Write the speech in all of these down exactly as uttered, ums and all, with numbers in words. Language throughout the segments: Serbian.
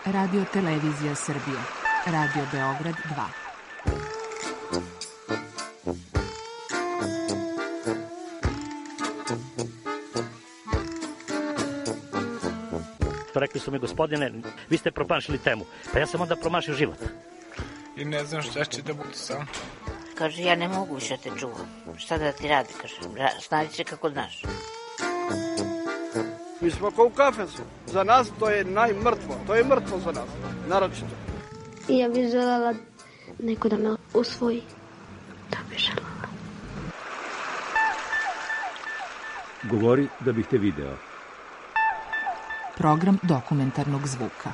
Radio Televizija Srbije. Radio Beograd dva. Rekli su mi, gospodine, vi ste promašili temu. Pa ja sam onda promašio život. I ne znam šta će da bude sam. Kaže, ja ne mogu više te čuvam. Šta da ti radi, kaže. Snađi se kako znaš. Mi smo kao u kafesu. Za nas to je najmrtvo. To je mrtvo za nas. Naročito. I ja bih želela neko da me usvoji. Da bih želela. Govori da bih te video. Program dokumentarnog zvuka.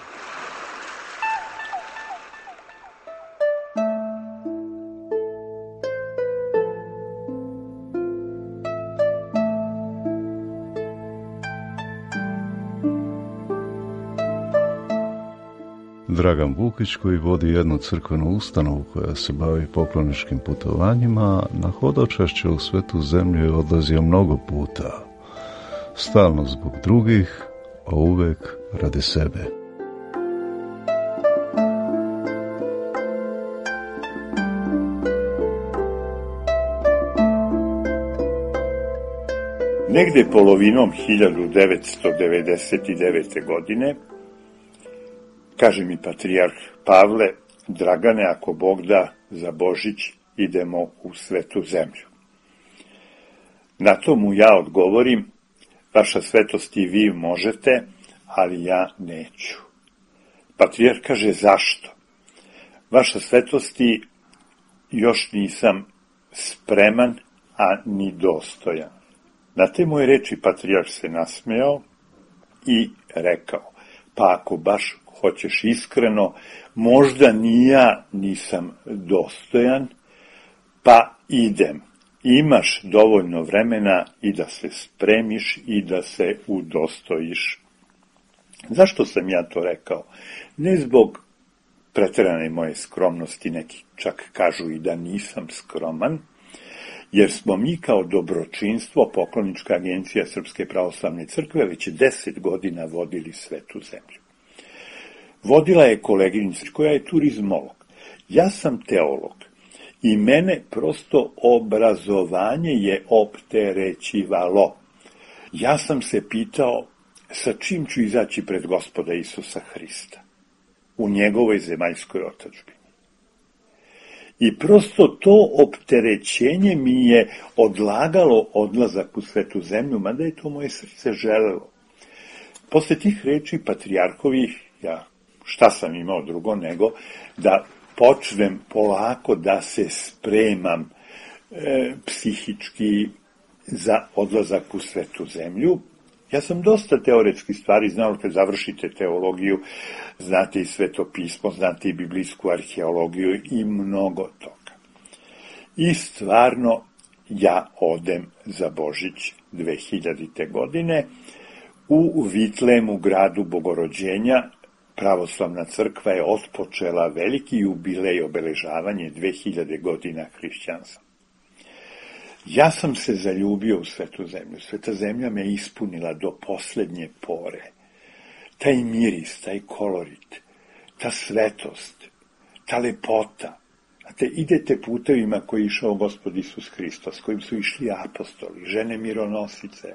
Dragan Bukić, koji vodi jednu crkvenu ustanovu koja se bavi pokloničkim putovanjima, na hodočašće u svetu zemlju je odlazio mnogo puta. Stalno zbog drugih, a uvek radi sebe. Negde polovinom hiljadu devetsto devedeset devete. godine kaže mi patrijarh Pavle, Dragane, ako Bog da, za Božić idemo u svetu zemlju. Na to mu ja odgovorim, vaša svetost i vi možete, ali ja neću. Patrijarh kaže, zašto? Vaša svetosti, još nisam spreman, a ni dostojan. Na te moje reči patrijarh se nasmejao i rekao, pa ako baš hoćeš iskreno, možda ni ja nisam dostojan, pa idem. Imaš dovoljno vremena i da se spremiš i da se udostojiš. Zašto sam ja to rekao? Ne zbog preterane moje skromnosti, neki čak kažu i da nisam skroman, jer smo mi kao dobročinstvo, poklonička agencija Srpske pravoslavne crkve, već deset godina vodili svetu zemlju. Vodila je koleginica koja je turizmolog. Ja sam teolog i mene prosto obrazovanje je opterećivalo. Ja sam se pitao sa čim ću izaći pred Gospoda Isusa Hrista u njegovoj zemaljskoj otadžbini. I prosto to opterećenje mi je odlagalo odlazak u svetu zemlju, mada je to moje srce želelo. Posle tih reči patrijarhovih, ja šta sam imao drugo nego da počnem polako da se spremam e, psihički za odlazak u svetu zemlju. Ja sam dosta teoretskih stvari znao, kad završite teologiju, znate i sveto pismo, znate i biblijsku arheologiju i mnogo toga. I stvarno ja odem za Božić dve hiljadite. godine u Vitlemu, gradu Bogorođenja. Pravoslavna crkva je otpočela veliki jubilej obeležavanje dve hiljade godina hrišćanstva. Ja sam se zaljubio u svetu zemlju. Sveta zemlja me ispunila do poslednje pore. Taj miris, taj kolorit, ta svetost, ta lepota. Znate, idete putevima koji je išao Gospod Isus Hristos, kojim su išli apostoli, žene mironosice,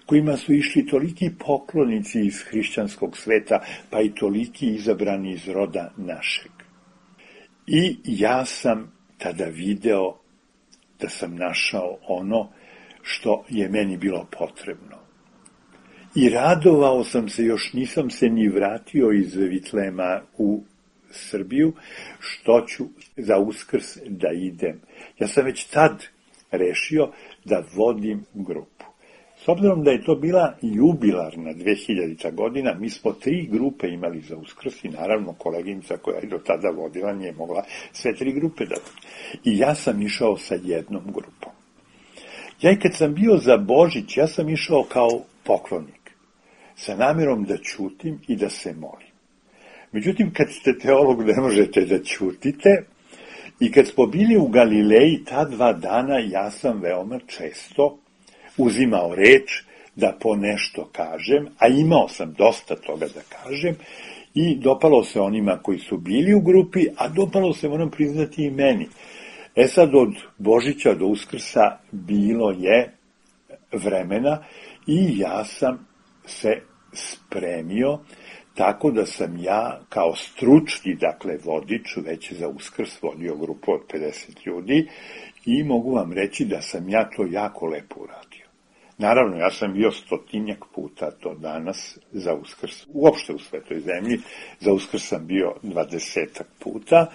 kojima su išli toliki poklonici iz hrišćanskog sveta, pa i toliki izabrani iz roda našeg. I ja sam tada video da sam našao ono što je meni bilo potrebno. I radovao sam se, još nisam se ni vratio iz Vitlema u Srbiju, što ću za Uskrs da idem. Ja sam već tad rešio da vodim grupu. S obzirom da je to bila jubilarna dve hiljadita. godina, mi smo tri grupe imali za Uskrs i naravno koleginica koja je do tada vodila nije mogla sve tri grupe da vodi. I ja sam išao sa jednom grupom. Ja i kad sam bio za Božić, ja sam išao kao poklonik, sa namjerom da ćutim i da se molim. Međutim, kad ste teolog, ne možete da ćutite. I kad smo bili u Galileji, ta dva dana ja sam veoma često uzimao reč da po nešto kažem, a imao sam dosta toga da kažem, I dopalo se onima koji su bili u grupi, a dopalo se, moram priznati, i meni. E sad, od Božića do Uskrsa bilo je vremena i ja sam se spremio, tako da sam ja kao stručni, dakle vodič, već za Uskrs vodio grupu od pedeset ljudi i mogu vam reći da sam ja to jako lepo uradio. Naravno, ja sam bio stotinjak puta to danas za Uskrs, uopšte u Svetoj zemlji, za Uskrs sam bio dvadesetak puta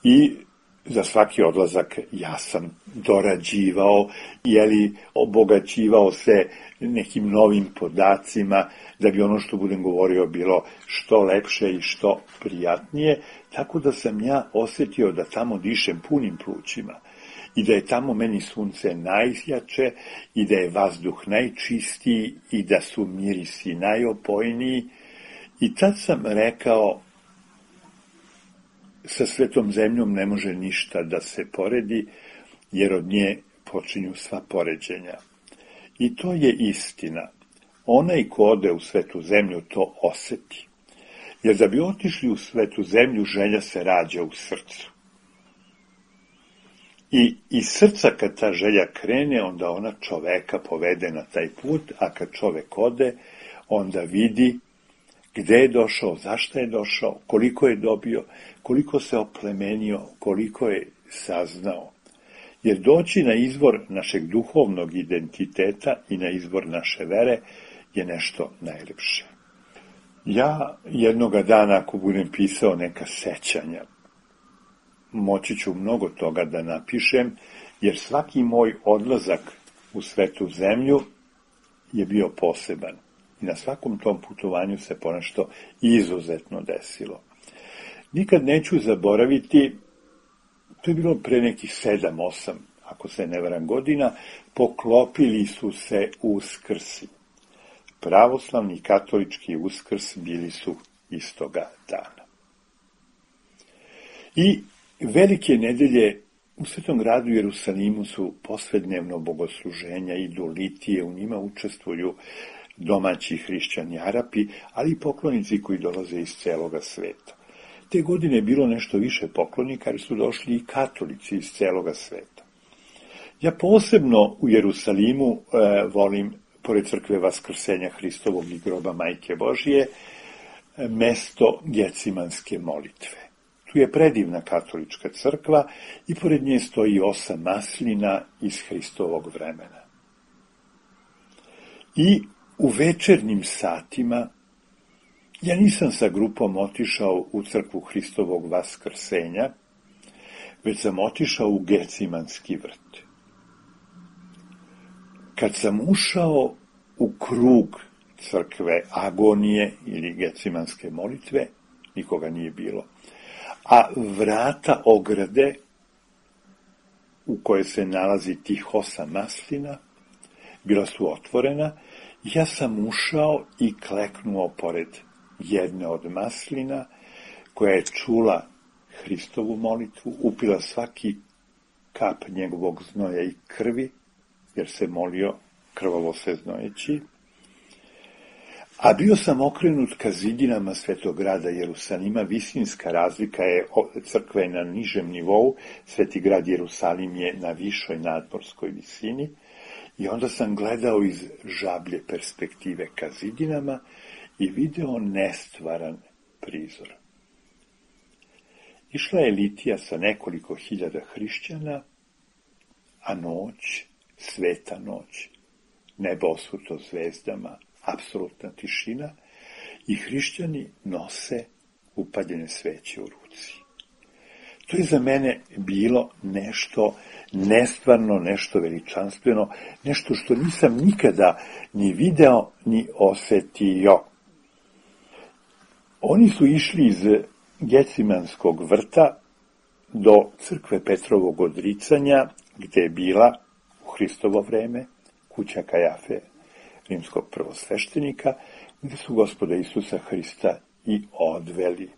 i za svaki odlazak ja sam dorađivao, jeli, obogaćivao se nekim novim podacima, da bi ono što budem govorio bilo što lepše i što prijatnije, tako da sam ja osjetio da tamo dišem punim plućima i da je tamo meni sunce najjače i da je vazduh najčistiji i da su mirisi najopojniji. I tad sam rekao, sa Svetom zemljom ne može ništa da se poredi, jer od nje počinju sva poređenja. I to je istina. Onaj ko ode u Svetu zemlju to oseti. Jer da bi otišli u Svetu zemlju, želja se rađa u srcu. I iz srca kad ta želja krene, onda ona čoveka povede na taj put, a kad čovek ode, onda vidi gde je došao, zašto je došao, koliko je dobio, koliko se oplemenio, koliko je saznao. Jer doći na izvor našeg duhovnog identiteta i na izvor naše vere je nešto najlepše. Ja jednoga dana, ako budem pisao neka sećanja, moći ću mnogo toga da napišem, jer svaki moj odlazak u Svetu zemlju je bio poseban. I na svakom tom putovanju se ponešto izuzetno desilo. Nikad neću zaboraviti, to je bilo pre nekih sedam, osam, ako se ne varam godina, poklopili su se Uskrsi. Pravoslavni i katolički Uskrs bili su istoga dana. I velike nedelje u Svetom gradu Jerusalimu su posvednevno bogosluženja, idu litije, u njima učestvuju domaći hrišćani Arapi, ali i poklonici koji dolaze iz celoga sveta. Te godine je bilo nešto više poklonika, jer su došli i katolici iz celoga sveta. Ja posebno u Jerusalimu e, volim, pored crkve Vaskrsenja Hristovog i groba Majke Božije, mesto Gecimanske molitve. Tu je predivna katolička crkva i pored nje stoji osam maslina iz Hristovog vremena. I u večernjim satima ja nisam sa grupom otišao u crkvu Hristovog Vaskrsenja, već sam otišao u Gecimanski vrt. Kad sam ušao u krug crkve Agonije ili Gecimanske molitve, nikoga nije bilo, a vrata ograde u kojoj se nalazi tih osam maslina bila su otvorena. Ja sam ušao i kleknuo pored jedne od maslina, koja je čula Hristovu molitvu, upila svaki kap njegovog znoja i krvi, jer se molio krvavo se znojeći, a bio sam okrenut ka zidinama Svetog grada Jerusalima. Visinska razlika je, crkva je na nižem nivou, Sveti grad Jerusalim je na višoj nadmorskoj visini, i onda sam gledao iz žablje perspektive ka zidinama i video nestvaran prizor. Išla je litija sa nekoliko hiljada hrišćana, a noć, sveta noć, nebo osuto zvezdama, apsolutna tišina, i hrišćani nose upaljene sveće u ruci. To je za mene bilo nešto nestvarno, nešto veličanstveno, nešto što nisam nikada ni video, ni osetio. Oni su išli iz Gecimanskog vrta do crkve Petrovog odricanja, gde je bila u Hristovo vreme kuća Kajafe, rimskog prvosveštenika, gde su Gospoda Isusa Hrista i odveli.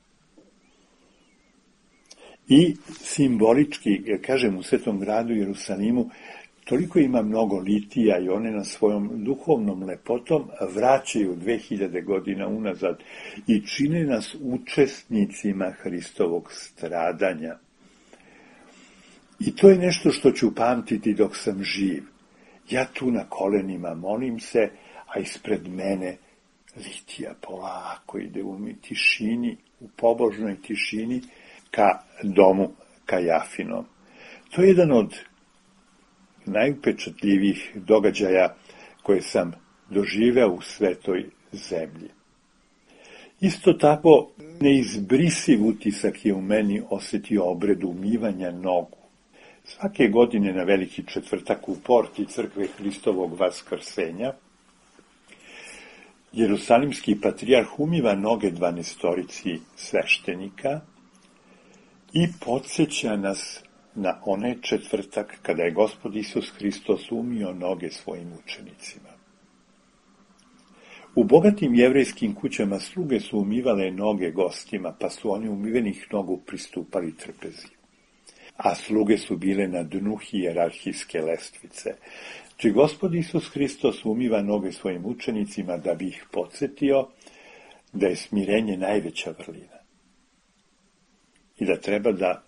I simbolički, kažem, u Svetom gradu Jerusalimu, toliko ima mnogo litija i one na svojom duhovnom lepotom vraćaju dve hiljade godina unazad i čine nas učesnicima Hristovog stradanja. I to je nešto što ću pamtiti dok sam živ. Ja tu na kolenima molim se, a ispred mene litija polako ide u tišini, u pobožnoj tišini, ka domu Kajafinom. To je jedan od najupečatljivijih događaja koje sam doživeo u svetoj zemlji. Isto tako, neizbrisiv utisak je u meni osjetio obred umivanja nogu. Svake godine na Veliki četvrtak u porti crkve Hristovog Vaskrsenja Jerusalimski patrijarh umiva noge dvanaestorici sveštenika i podsjeća nas na onaj četvrtak kada je Gospod Isus Hristos umio noge svojim učenicima. U bogatim jevrejskim kućama sluge su umivale noge gostima, pa su oni umivenih nogu pristupali trpezi. A sluge su bile na dnu hijerarhijske lestvice. Či Gospod Isus Hristos umiva noge svojim učenicima da bi ih podsjetio da je smirenje najveća vrlina. I da treba da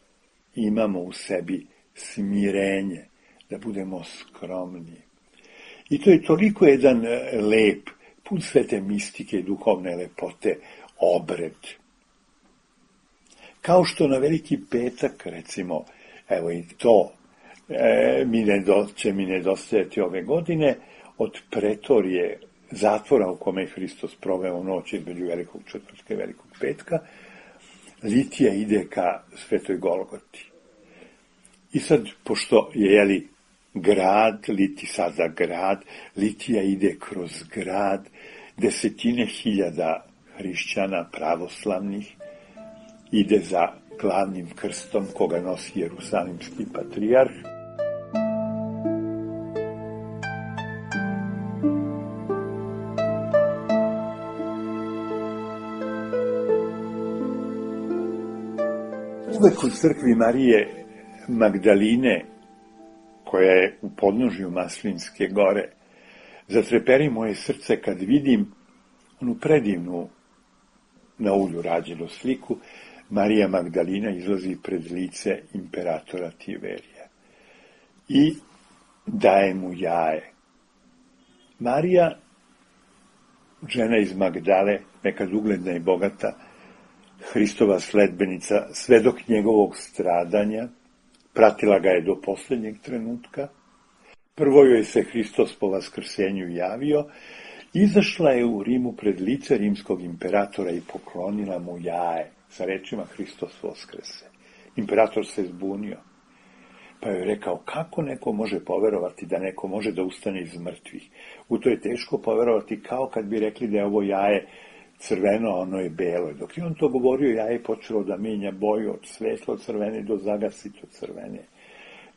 imamo u sebi smirenje, da budemo skromni. I to je toliko jedan lep, pun svete mistike i duhovne lepote, obred. Kao što na Veliki petak, recimo, evo i to e, mi nedo, će mi nedostajati ove godine, od pretorije zatvora u kome je Hristos proveo noć između Velikog četvrtka i Velikog petka, litija ide ka Svetoj Golgoti. I sad, pošto je, jeli, grad, liti sada grad, litija ide kroz grad, desetine hiljada hrišćana pravoslavnih ide za glavnim krstom koga nosi Jerusalimski patrijarh. Uvek u crkvi Marije Magdaline, koja je u podnožju Maslinske gore, zatreperi moje srce kad vidim onu predivnu na ulju rađenu sliku. Marija Magdalina izlazi pred lice imperatora Tiberija i daje mu jaje. Marija, žena iz Magdale, nekad ugledna i bogata, Hristova sledbenica, svedok njegovog stradanja, pratila ga je do posljednjeg trenutka. Prvo joj se Hristos po vaskrsenju javio, izašla je u Rimu pred lice rimskog imperatora i poklonila mu jaje sa rečima Hristos voskrese. Imperator se zbunio, pa joj rekao, kako neko može poverovati da neko može da ustane iz mrtvih? U to je teško poverovati, kao kad bi rekli da je ovo jaje crveno, a ono je belo. Dok je on to govorio, jaje je počelo da menja boju od svetlo crvene do zagasito crvene.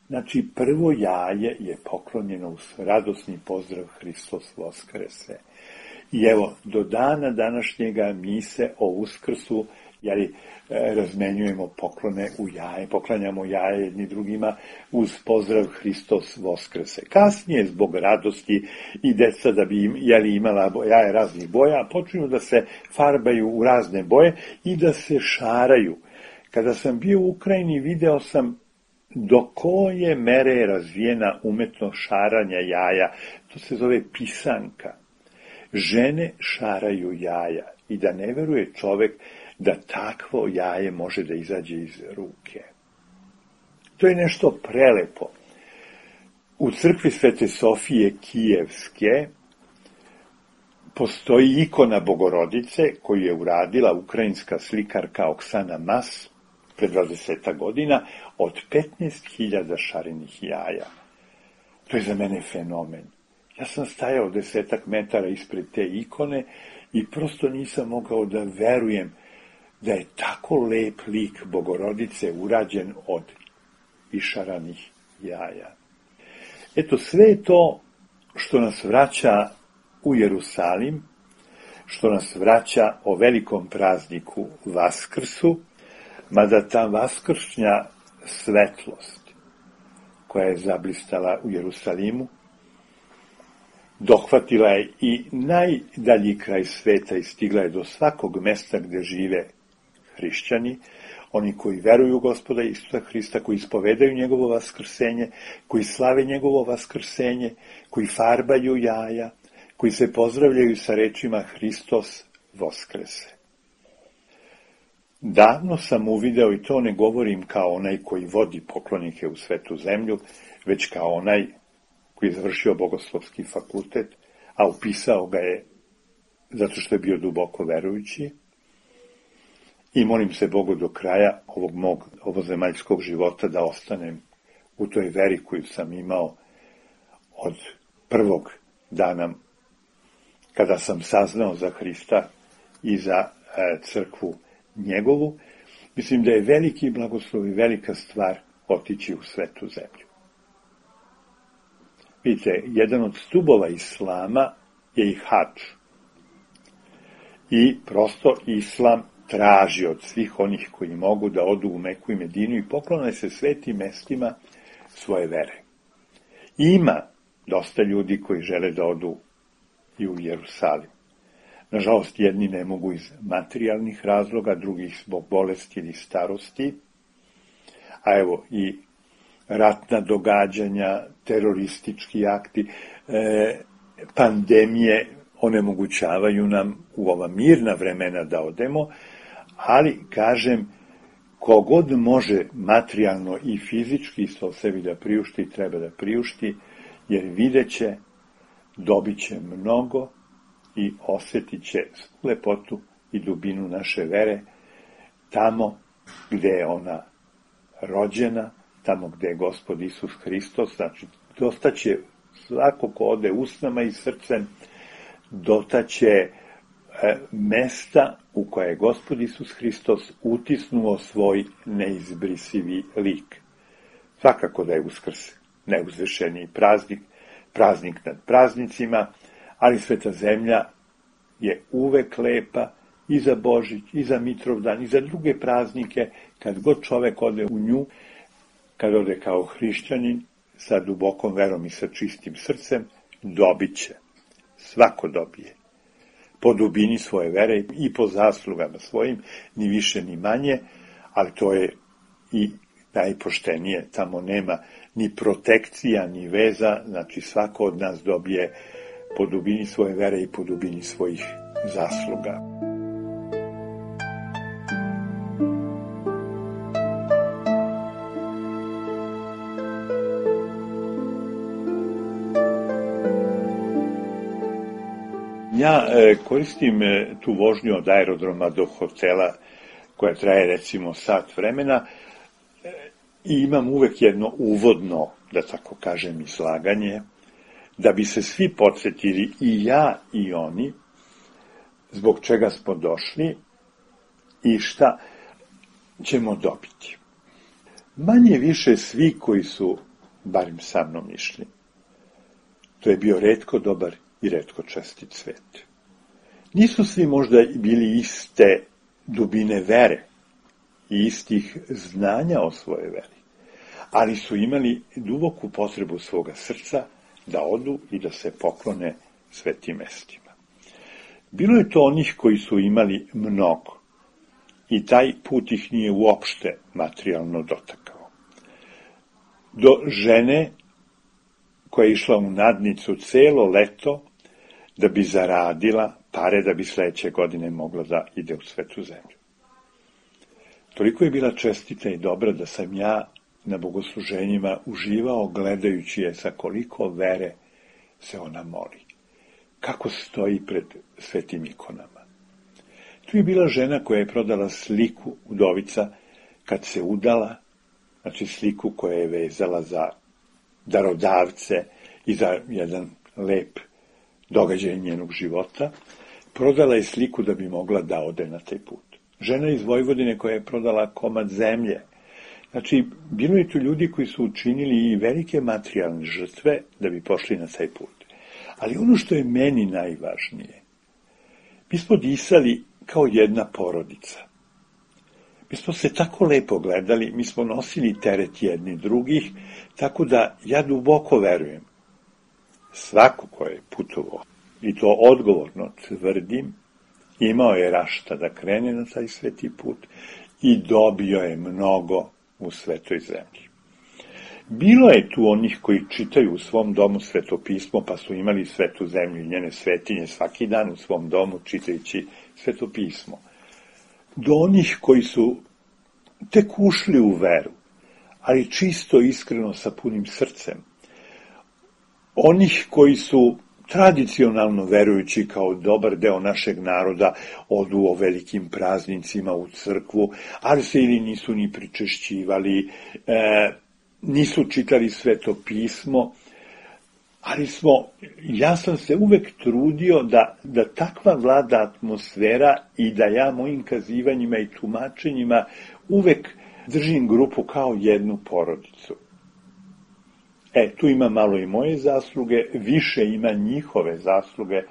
Znači, prvo jaje je poklonjeno uz radosni pozdrav Hristos voskrese. I evo, do dana današnjega mi se o Uskrsu, jeli, razmenjujemo poklone u jaje, poklanjamo jaje jedni drugima uz pozdrav Hristos voskrese. Kasnije, zbog radosti i deca da bi im, jeli, imala jaje raznih boja, počinju da se farbaju u razne boje i da se šaraju. Kada sam bio u Ukrajini, video sam do koje mere je razvijena umetnost šaranja jaja. To se zove pisanka. Žene šaraju jaja i da ne veruje čovek da takvo jaje može da izađe iz ruke. To je nešto prelepo. U crkvi Svete Sofije Kijevske postoji ikona Bogorodice koju je uradila ukrajinska slikarka Oksana Mas pred dvadeset godina od petnaest hiljada šarenih jaja. To je za mene fenomen. Ja sam stajao desetak metara ispred te ikone i prosto nisam mogao da verujem da je tako lep lik Bogorodice urađen od išaranih jaja. Eto, sve je to što nas vraća u Jerusalim, što nas vraća o velikom prazniku Vaskrsu, mada ta vaskršnja svetlost koja je zablistala u Jerusalimu, dohvatila je i najdalji kraj sveta i stigla je do svakog mesta gde žive hrišćani, oni koji veruju u Gospoda Isusa Hrista, koji ispovedaju njegovo vaskrsenje, koji slave njegovo vaskrsenje, koji farbaju jaja, koji se pozdravljaju sa rečima Hristos Voskrese. Davno sam uvideo, i to ne govorim kao onaj koji vodi poklonike u svetu zemlju, već kao onaj koji je završio bogoslovski fakultet, a upisao ga je zato što je bio duboko verujući, i molim se Bogu do kraja ovog mog ovozemaljskog života da ostanem u toj veri koju sam imao od prvog dana kada sam saznao za Hrista i za e, crkvu njegovu. Mislim da je veliki blagoslov i velika stvar otići u svetu zemlju. Vidite, jedan od stubova islama je i hadž. I prosto islam traži od svih onih koji mogu da odu u Meku i Medinu i poklone se svetim mestima svoje vere. Ima dosta ljudi koji žele da odu i u Jerusalim. Nažalost, jedni ne mogu iz materijalnih razloga, drugih zbog bolesti ili starosti, a evo i ratna događanja, teroristički akti, e, pandemije onemogućavaju nam u ova mirna vremena da odemo, ali, kažem, kogod može materijalno i fizički isto sebi da priušti, treba da priušti, jer vidjet će, dobit će mnogo i osjetit će lepotu i dubinu naše vere tamo gde je ona rođena, tamo gde je Gospod Isus Hristos. Znači, dostaće svako ko ode usnama i srcem, dotaće e, mesta u koje je Gospod Isus Hristos utisnuo svoj neizbrisivi lik. Svakako da je Uskrs neuzvišeni praznik, praznik nad praznicima, ali sveta zemlja je uvek lepa i za Božić, i za Mitrovdan, i za druge praznike, kad god čovek ode u nju, kad ode kao hrišćanin, sa dubokom verom i sa čistim srcem, dobit će. Svako dobije. Po dubini svoje vere i po zaslugama svojim, ni više ni manje, ali to je i najpoštenije. Tamo nema ni protekcija, ni veza, znači svako od nas dobije po dubini svoje vere i po dubini svojih zasluga. Ja e, koristim e, tu vožnju od aerodroma do hotela koja traje recimo sat vremena e, i imam uvek jedno uvodno, da tako kažem, izlaganje, da bi se svi podsjetili, i ja i oni, zbog čega smo došli i šta ćemo dobiti. Manje više svi koji su, barem sa mnom, išli, to je bio retko dobar i retko čestit svet. Nisu svi možda bili iste dubine vere i istih znanja o svojoj veri, ali su imali duboku potrebu svoga srca da odu i da se poklone svetim mestima. Bilo je to onih koji su imali mnogo i taj put ih nije uopšte materijalno dotakao. Do žene koja je išla u nadnicu celo leto da bi zaradila pare da bi sledeće godine mogla da ide u svetu zemlju. Toliko je bila čestita i dobra da sam ja na bogosluženjima uživao gledajući je sa koliko vere se ona moli. Kako stoji pred svetim ikonama. Tu je bila žena koja je prodala sliku udovica kad se udala, znači sliku koja je vezala za darodavce i za jedan lep događaj njenog života. Prodala je sliku da bi mogla da ode na taj put. Žena iz Vojvodine koja je prodala komad zemlje. Znači, bilo je tu ljudi koji su učinili i velike materijalne žrtve da bi pošli na taj put. Ali ono što je meni najvažnije, mi smo disali kao jedna porodica. Mi smo se tako lepo gledali, mi smo nosili teret jedni drugih, tako da ja duboko verujem. Svako ko je putovao, i to odgovorno tvrdim, imao je rašta da krene na taj sveti put i dobio je mnogo u svetoj zemlji. Bilo je tu onih koji čitaju u svom domu svetopismo, pa su imali svetu zemlju i njene svetinje svaki dan u svom domu čitajući svetopismo. Do onih koji su tek ušli u veru, ali čisto, iskreno, sa punim srcem. Onih koji su tradicionalno verujući kao dobar deo našeg naroda odu o velikim praznicima u crkvu, ali se ili nisu ni pričešćivali, e, nisu čitali svetopismo, ali smo, ja sam se uvek trudio da, da takva vlada atmosfera i da ja mojim kazivanjima i tumačenjima uvek držim grupu kao jednu porodicu. E, tu ima malo i moje zasluge, više ima njihove zasluge,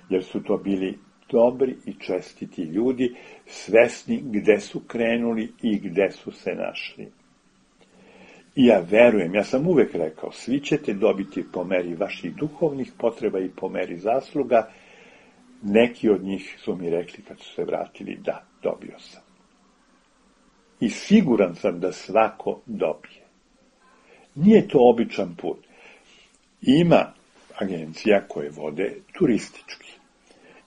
jer su to bili dobri i čestiti ljudi, svesni gde su krenuli i gde su se našli. I ja verujem, ja sam uvek rekao, svi ćete dobiti po meri vaših duhovnih potreba i po meri zasluga. Neki od njih su mi rekli kad su se vratili, da, dobio sam. I siguran sam da svako dobije. Nije to običan put. Ima agencija koje vode turistički.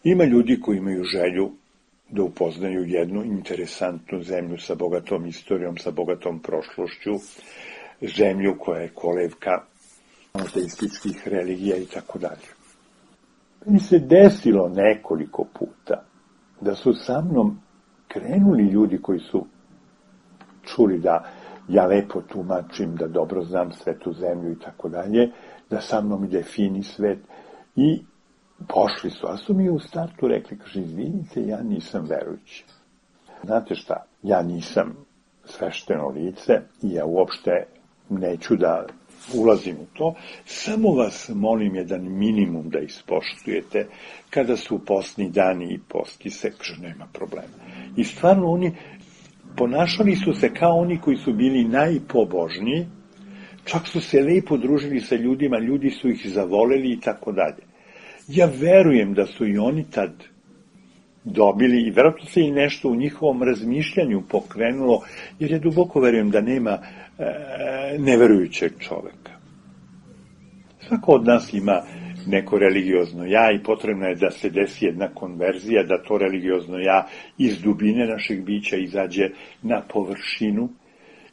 Ima ljudi koji imaju želju da upoznaju jednu interesantnu zemlju sa bogatom istorijom, sa bogatom prošlošću, zemlju koja je kolevka monoteističkih religija i tako dalje. Mi se desilo nekoliko puta da su sa mnom krenuli ljudi koji su čuli da ja lepo tumačim, da dobro znam svetu zemlju i tako dalje, da sa mnom ide fini svet i pošli su, a su mi u startu rekli, kaže, izvinite, ja nisam verujući. Znate šta, ja nisam svešteno lice i ja uopšte neću da ulazim u to, samo vas molim jedan minimum da ispoštujete kada su postni dani i posti se, kaže, nema problema. I stvarno oni ponašali su se kao oni koji su bili najpobožniji, čak su se lepo družili sa ljudima, ljudi su ih zavoleli i tako dalje. Ja verujem da su i oni tad dobili, i verovatno se i nešto u njihovom razmišljanju pokrenulo, jer ja duboko verujem da nema e, neverujućeg čoveka. Svako od nas ima neko religiozno ja i potrebno je da se desi jedna konverzija, da to religiozno ja iz dubine našeg bića izađe na površinu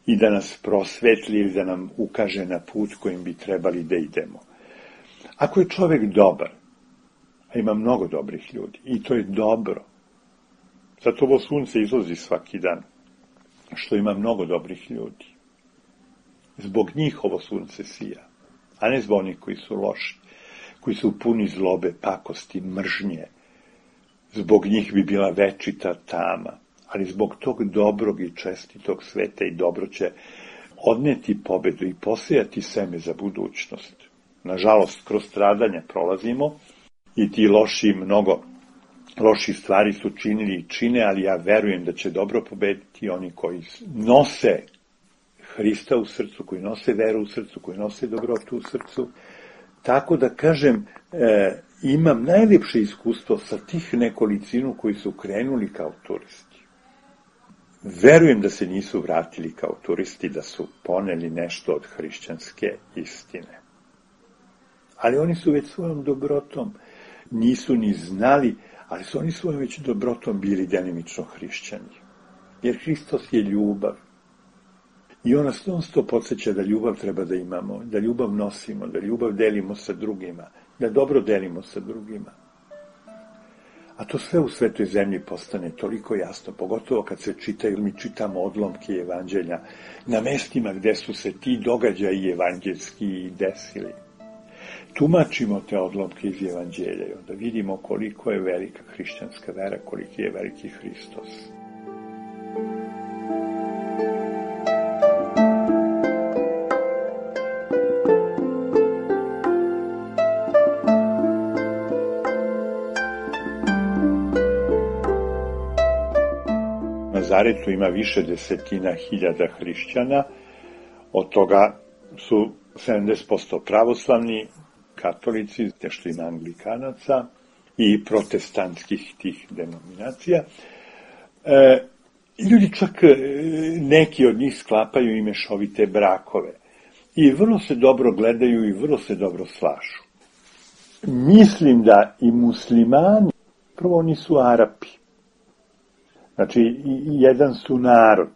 i da nas prosvetli ili da nam ukaže na put kojim bi trebali da idemo. Ako je čovek dobar, a ima mnogo dobrih ljudi, i to je dobro, zato ovo sunce izlazi svaki dan, što ima mnogo dobrih ljudi. Zbog njih ovo sunce sija, a ne zbog onih koji su loši, koji su puni zlobe, pakosti, mržnje. Zbog njih bi bila večita tama, ali zbog tog dobrog i čestitog sveta i dobro će odneti pobedu i posejati seme za budućnost. Nažalost, kroz stradanja prolazimo i ti loši, mnogo loših stvari su činili i čine, ali ja verujem da će dobro pobediti oni koji nose Hrista u srcu, koji nose veru u srcu, koji nose dobrotu u srcu. Tako da kažem, e, imam najljepše iskustvo sa tih nekolicinu koji su krenuli kao turisti. Verujem da se nisu vratili kao turisti, da su poneli nešto od hrišćanske istine. Ali oni su već svojom dobrotom, nisu ni znali, ali su oni svojom već dobrotom bili delimično hrišćani. Jer Hristos je ljubav. I on nas non stop podsjeća da ljubav treba da imamo, da ljubav nosimo, da ljubav delimo sa drugima, da dobro delimo sa drugima. A to sve u svetoj zemlji postane toliko jasno, pogotovo kad se čitaju, mi čitamo odlomke evanđelja na mestima gde su se ti događaji evanđeljski desili. Tumačimo te odlomke iz evanđelja i onda vidimo koliko je velika hrišćanska vera, koliki je veliki Hristos. Nazaretu ima više desetina hiljada hrišćana, od toga su sedamdeset posto pravoslavni, katolici, te što ima anglikanaca i protestantskih tih denominacija. E, ljudi čak, neki od njih sklapaju i mešovite brakove i vrlo se dobro gledaju i vrlo se dobro slažu. Mislim da i muslimani, prvo oni su Arapi, znači jedan su narod,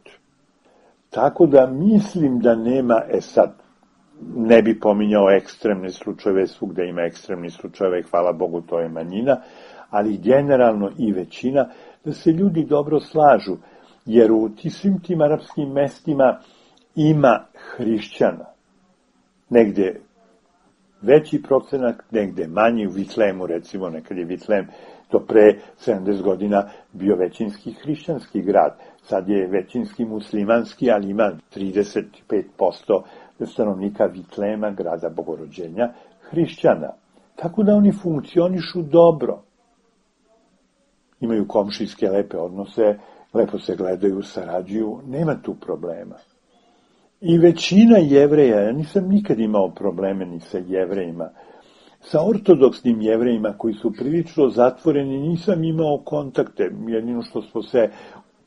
tako da mislim da nema, e sad, ne bi pominjao ekstremne slučajeve, svugde ima ekstremni slučajeve i hvala Bogu to je manjina, ali generalno i većina, da se ljudi dobro slažu, jer u svim tim arapskim mestima ima hrišćana, negde veći procenak, negde manji, u Vitlemu recimo, nekad je Vitlem to pre sedamdeset godina bio većinski hrišćanski grad, sad je većinski muslimanski, ali ima trideset pet posto stanovnika Vitlema, grada Bogorođenja, hrišćana. Tako da oni funkcionišu dobro. Imaju komšijske lepe odnose, lepo se gledaju, sarađuju, nema tu problema. I većina Jevreja, ja nisam nikad imao probleme ni sa Jevrejima, sa ortodoksnim Jevrejima koji su prilično zatvoreni, nisam imao kontakte, jedino što smo se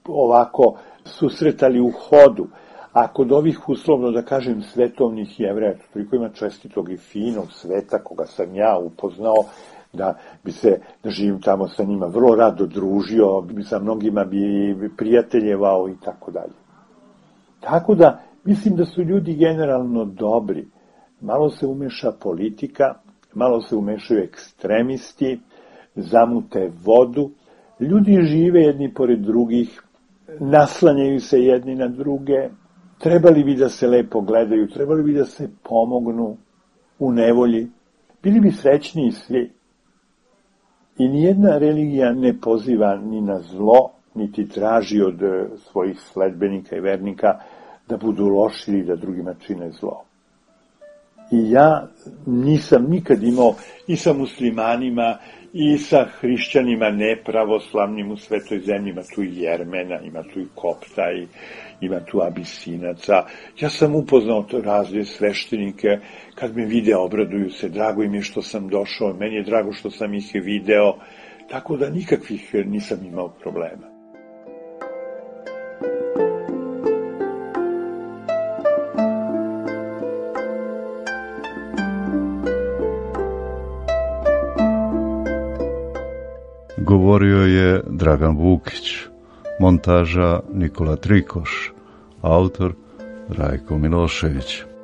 ovako susretali u hodu. A kod ovih, uslovno da kažem, svetovnih Jevreja, toliko ima čestitog i finog sveta koga sam ja upoznao, da bi se, da živim tamo sa njima, vrlo rado družio, bi sa mnogima bi prijateljevao i tako dalje. Tako da, mislim da su ljudi generalno dobri. Malo se umeša politika, malo se umešaju ekstremisti, zamute vodu, ljudi žive jedni pored drugih, naslanjaju se jedni na druge, trebali bi da se lepo gledaju, trebali bi da se pomognu u nevolji, bili bi srećniji svi. I nijedna religija ne poziva ni na zlo, niti traži od svojih sledbenika i vernika da budu loši ili da drugima čine zlo. I ja nisam nikad imao i sa muslimanima i sa hrišćanima nepravoslavnim u svetoj zemlji, ima tu i Jermena, ima tu i Kopta, i, ima tu Abisinaca. Ja sam upoznao to razne sveštenike, kad me vide obraduju se, drago im je što sam došao, meni je drago što sam ih video, tako da nikakvih nisam imao problema. Govorio je Dragan Vukić, montaža Nikola Trikoš, autor Rajko Milošević.